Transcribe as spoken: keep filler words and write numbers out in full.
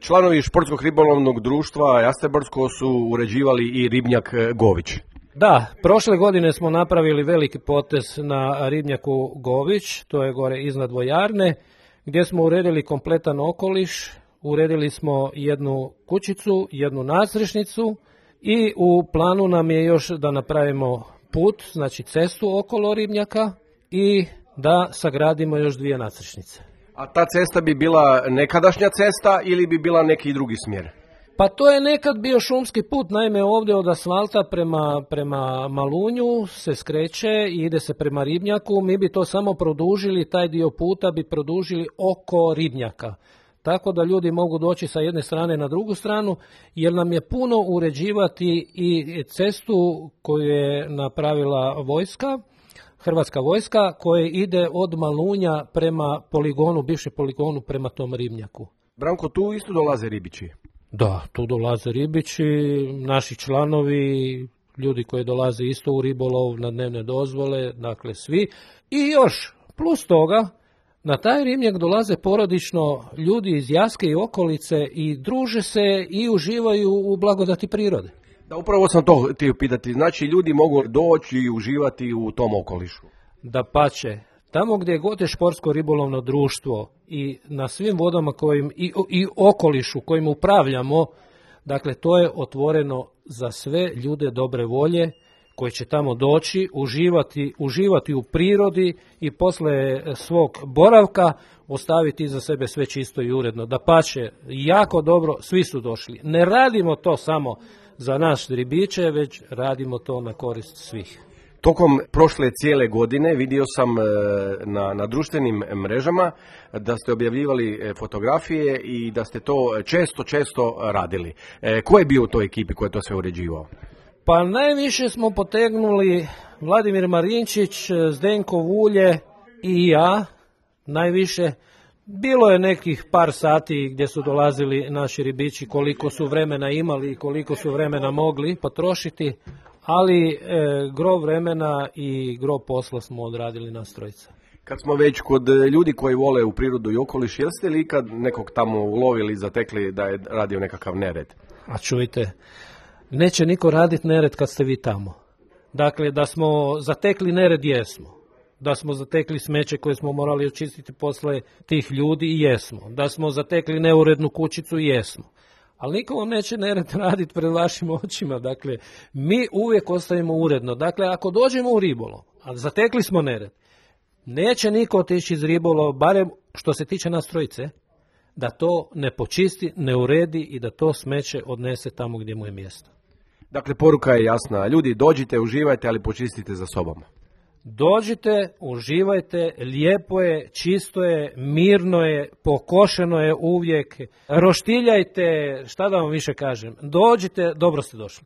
Članovi športskog ribolovnog društva Jastrebarsko su uređivali i ribnjak Gović. Da, prošle godine smo napravili veliki potez na ribnjaku Gović, to je gore iznad vojarne, gdje smo uredili kompletan okoliš, uredili smo jednu kućicu, jednu nadstrešnicu i u planu nam je još da napravimo put, znači cestu okolo ribnjaka i da sagradimo još dvije nadstrešnice. A ta cesta bi bila nekadašnja cesta ili bi bila neki drugi smjer? Pa to je nekad bio šumski put, naime ovdje od asfalta prema, prema Malunju se skreće i ide se prema ribnjaku, mi bi to samo produžili, taj dio puta bi produžili oko ribnjaka. Tako da ljudi mogu doći sa jedne strane na drugu stranu, jer nam je puno uređivati i cestu koju je napravila vojska, Hrvatska vojska, koja ide od Malunja prema poligonu, bivšem poligonu prema tom ribnjaku. Branko, tu isto dolaze ribići? Da, tu dolaze ribići, naši članovi, ljudi koji dolaze isto u ribolov na dnevne dozvole, dakle svi. I još, plus toga, na taj ribnjak dolaze porodično ljudi iz Jaske i okolice i druže se i uživaju u blagodati prirode. Da, upravo sam to htio pitati. Znači, ljudi mogu doći i uživati u tom okolišu. Dapače, tamo gdje god je športsko ribolovno društvo i na svim vodama kojim, i, i okolišu kojim upravljamo, dakle, to je otvoreno za sve ljude dobre volje koji će tamo doći, uživati, uživati u prirodi i posle svog boravka ostaviti iza sebe sve čisto i uredno. Dapače, jako dobro, svi su došli. Ne radimo to samo za naš ribiče, već radimo to na korist svih. Tokom prošle cijele godine vidio sam na, na društvenim mrežama da ste objavljivali fotografije i da ste to često, često radili. E, ko je bio u toj ekipi koji je to sve uređivao? Pa najviše smo potegnuli Vladimir Marinčić, Zdenko Vulje i ja, najviše. Bilo je nekih par sati gdje su dolazili naši ribići, koliko su vremena imali i koliko su vremena mogli potrošiti, ali e, gro vremena i gro posla smo odradili nas trojica. Kad smo već kod ljudi koji vole u prirodu i okoliš, jeste li ikad nekog tamo ulovili, zatekli da je radio nekakav nered? A čujte, neće niko raditi nered kad ste vi tamo. Dakle, da smo zatekli nered, jesmo. Da smo zatekli smeće koje smo morali očistiti posle tih ljudi, i jesmo. Da smo zatekli neurednu kućicu, jesmo. Ali niko vam neće nered raditi pred vašim očima. Dakle, mi uvijek ostavimo uredno. Dakle, ako dođemo u ribolov, a zatekli smo nered, neće niko otići iz ribolova, barem što se tiče nas trojice, da to ne počisti, ne uredi i da to smeće odnese tamo gdje mu je mjesto. Dakle, poruka je jasna. Ljudi, dođite, uživajte, ali počistite za sobom. Dođite, uživajte, lijepo je, čisto je, mirno je, pokošeno je uvijek, roštiljajte, šta da vam više kažem. Dođite, dobro ste došli.